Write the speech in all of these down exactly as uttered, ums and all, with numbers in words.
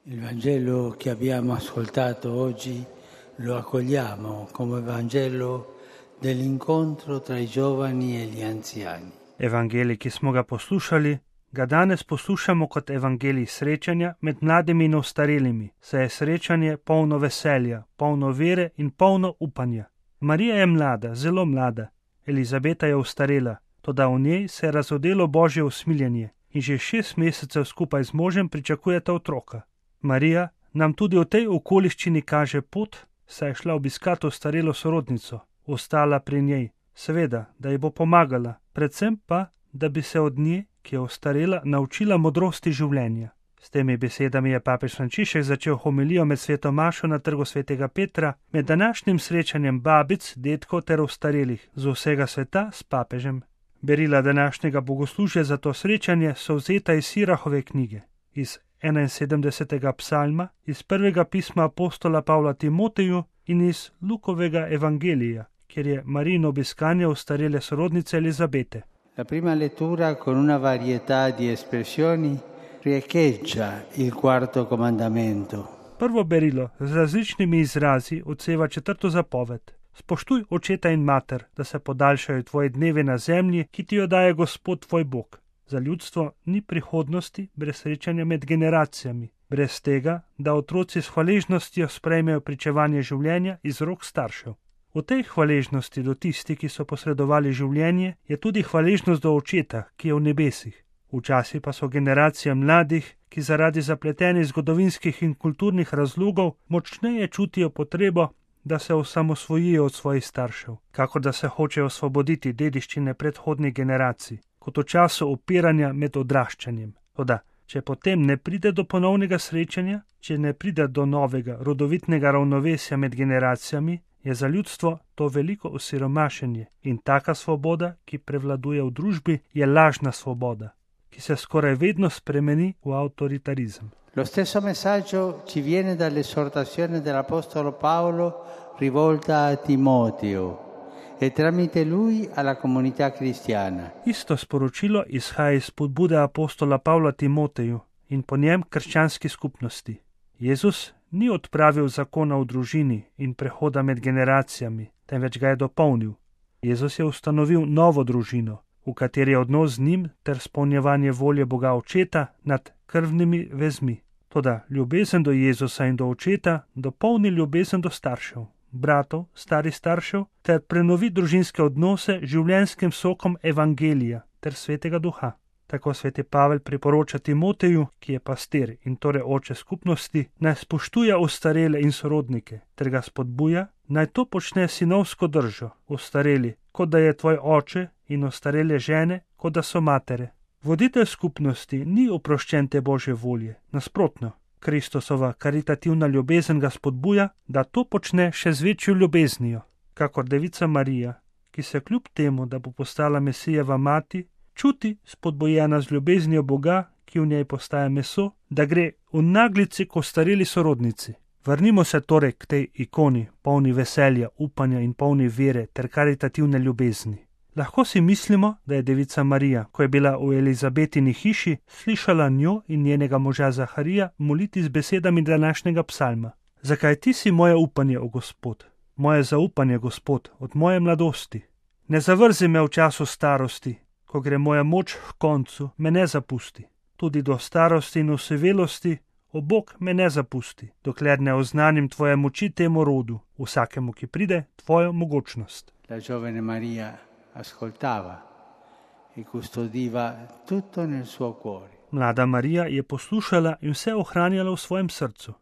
Il Vangelo che abbiamo ascoltato oggi lo accogliamo come Vangelo dell'incontro tra i giovani e gli anziani. Evangelij, ki smo ga poslušali, ga danes poslušamo kot evangelij srečanja med mladimi in ostarelimi, saj je srečanje polno veselja, polno vere in polno upanja. Marija je mlada, zelo mlada, Elizabeta je ostarela, toda v njej se je razodelo Božje usmiljenje in že šest mesecev skupaj z možem pričakujeta otroka. Marija nam tudi v tej okoliščini kaže pot, saj je šla obiskat ostarelo sorodnico, ostala pri njej, seveda, da ji bo pomagala, predvsem pa, da bi se od nje, ki je ostarela, naučila modrosti življenja. S temi besedami je papež Frančišek začel homilijo med sveto mašo na trgu svetega Petra, med današnjim srečanjem babic, dedkov ter ostarelih z vsega sveta s papežem. Berila današnjega bogoslužja za to srečanje so vzeta iz Sirahove knjige, iz enainsedemdesetega psalma, iz prvega pisma apostola Pavla Timoteju in iz Lukovega evangelija, kjer je Marijino obiskanje ostarele sorodnice Elizabete. La prima lettura con una varietà di espressioni riecheggia il quarto comandamento. Prvo berilo z različnimi izrazi odseva četrto zapoved. Spoštuj očeta in mater, da se podaljšajo tvoji dnevi na zemlji, ki ti jo daje Gospod tvoj Bog. Za ljudstvo ni prihodnosti brez srečanja med generacijami, brez tega, da otroci s hvaležnostjo sprejmejo pričevanje življenja iz rok staršev. V tej hvaležnosti do tistih, ki so posredovali življenje, je tudi hvaležnost do očeta, ki je v nebesih. Včasih pa so generacije mladih, ki zaradi zapletenih zgodovinskih in kulturnih razlogov močneje čutijo potrebo, da se osamosvojijo od svojih staršev, kakor da se hočejo osvoboditi dediščine predhodnih generacij, kot v času upiranja med odraščanjem. Toda, če potem ne pride do ponovnega srečanja, če ne pride do novega rodovitnega ravnovesja med generacijami, je za ljudstvo to veliko osiromašenje in taka svoboda, ki prevladuje v družbi, je lažna svoboda, ki se skoraj vedno spremeni v avtoritarizem. Lo stesso messaggio ci viene dall'esortazione dell'Apostolo Paolo rivolta a Timoteo e tramite lui alla comunità cristiana. Isto sporočilo izhaja iz spodbude apostola Pavla Timoteju in po njem krščanski skupnosti. Jezus ni odpravil zakona v družini in prehoda med generacijami, temveč ga je dopolnil. Jezus je ustanovil novo družino, v kateri je odnos z njim ter spolnjevanje volje Boga Očeta nad krvnimi vezmi. Toda ljubezen do Jezusa in do Očeta dopolni ljubezen do staršev, bratov, starih staršev ter prenovi družinske odnose življenjskim sokom evangelija ter svetega duha. Tako sveti Pavel priporoča Timoteju, ki je pastir in torej oče skupnosti, naj spoštuje ostarele in sorodnike, ter ga spodbuja, naj to počne sinovsko držo, ostareli, kot da je tvoj oče, in ostarele žene, kot da so matere. Voditelj skupnosti ni oproščen te Božje volje, nasprotno. Kristusova karitativna ljubezen ga spodbuja, da to počne še z večjo ljubeznijo, kakor devica Marija, ki se kljub temu, da bo postala Mesijeva mati, čuti spodbojena z ljubeznijo Boga, ki v njej postaja meso, da gre v naglici k ostareli sorodnici. Vrnimo se torej k tej ikoni, polni veselja, upanja in polni vere ter karitativne ljubezni. Lahko si mislimo, da je devica Marija, ko je bila v Elizabetini hiši, slišala njo in njenega moža Zaharija moliti z besedami današnjega psalma. Zakaj ti si moje upanje, o Gospod? Moje zaupanje, Gospod, od moje mladosti. Ne zavrzi me v času starosti, ko gre moja moč k koncu, me ne zapusti. Tudi do starosti in osevelosti, o Bog, me ne zapusti, dokler ne oznanim tvoje moči temu rodu, vsakemu, ki pride, tvojo mogočnost. La giovane Maria ascoltava e custodiva tutto nel suo cuore. Mlada Marija je poslušala in vse ohranjala v svojem srcu.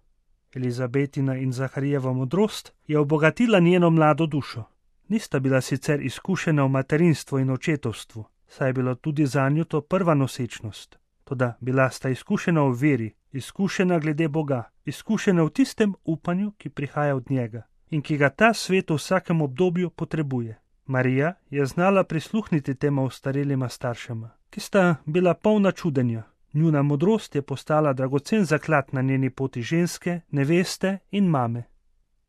Elizabetina in Zaharijeva modrost je obogatila njeno mlado dušo. Nista bila sicer izkušena v materinstvu in očetovstvu, saj je bilo tudi zanju to prva nosečnost. Toda bila sta izkušena v veri, izkušena glede Boga, izkušena v tistem upanju, ki prihaja od njega in ki ga ta svet v vsakem obdobju potrebuje. Marija je znala prisluhniti tema ostarelima staršema, ki sta bila polna čudenja. Njuna modrost je postala dragocen zaklad na njeni poti ženske, neveste in mame.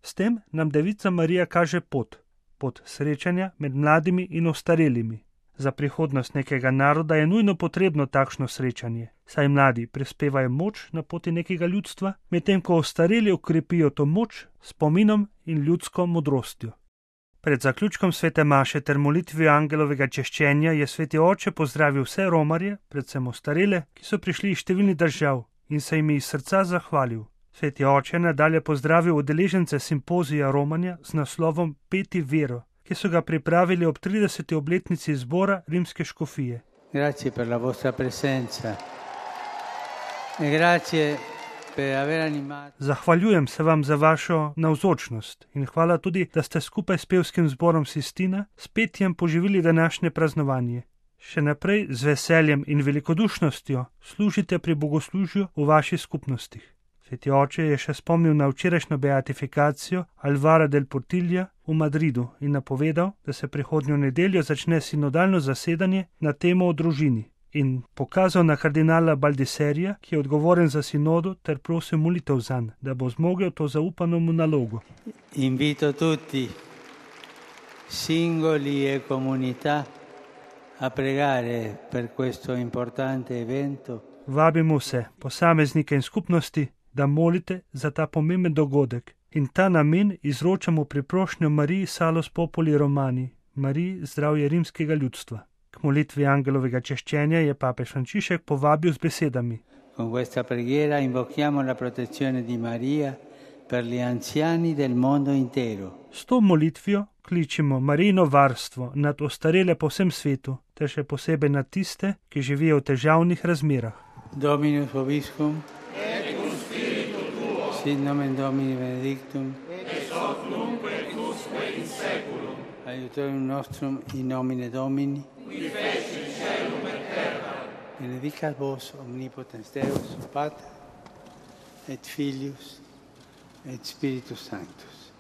S tem nam devica Marija kaže pot, pot srečanja med mladimi in ostarelimi. Za prihodnost nekega naroda je nujno potrebno takšno srečanje, saj mladi prispevajo moč na poti nekega ljudstva, medtem ko ostareli okrepijo to moč s spominom in ljudsko modrostjo. Pred zaključkom svete maše ter molitvijo angelovega češčenja je sveti oče pozdravil vse romarje, predvsem ostarele, ki so prišli iz številnih držav, in se jim iz srca zahvalil. Sveti oče nadalje pozdravil udeležence simpozija romanja z naslovom Peti vero, ki so ga pripravili ob trideseti obletnici zbora rimske škofije. Grazie per la vostra presenza. E grazie per aver animato. Zahvaljujem se vam za vašo navzočnost in hvala tudi, da ste skupaj s pevskim zborom Sistina s petjem poživili današnje praznovanje. Še naprej z veseljem in velikodušnostjo služite pri bogoslužju v vaših skupnostih. Sveti oče je še spomnil na včerajšnjo beatifikacijo Alvara del Portilja v Madridu in napovedal, da se prihodnjo nedeljo začne sinodalno zasedanje na temo o družini, in pokazal na kardinala Baldiserija, ki je odgovoren za sinodo, ter prosil molitev zanj, da bo zmogel to zaupano mu nalogo. Invito tutti, singoli e comunità, a pregare per questo importante evento. Vabimo vse, posameznike in skupnosti, da molite za ta pomemben dogodek in ta namen izročamo priprošnjo Mariji Salus Populi Romani, Mariji zdravje rimskega ljudstva. K molitvi angelovega češčenja je papež Frančišek povabil z besedami: Con questa preghiera invochiamo la protezione di Maria per gli anziani del mondo intero. S to molitvijo kličimo Marijino varstvo nad ostarele po vsem svetu, ter še posebej nad tiste, ki živijo v težavnih razmerah. Dominus vobiscum, et cum spiritu tuo, sit nomen Domini benedictum, ex hoc nunc et usque in saeculum, aiutorium nostrum in nomine Domini, qui fecit caelum et terra, benedicat vos omnipotens Deus, Pater, et Filius, et Spiritus Sanctus.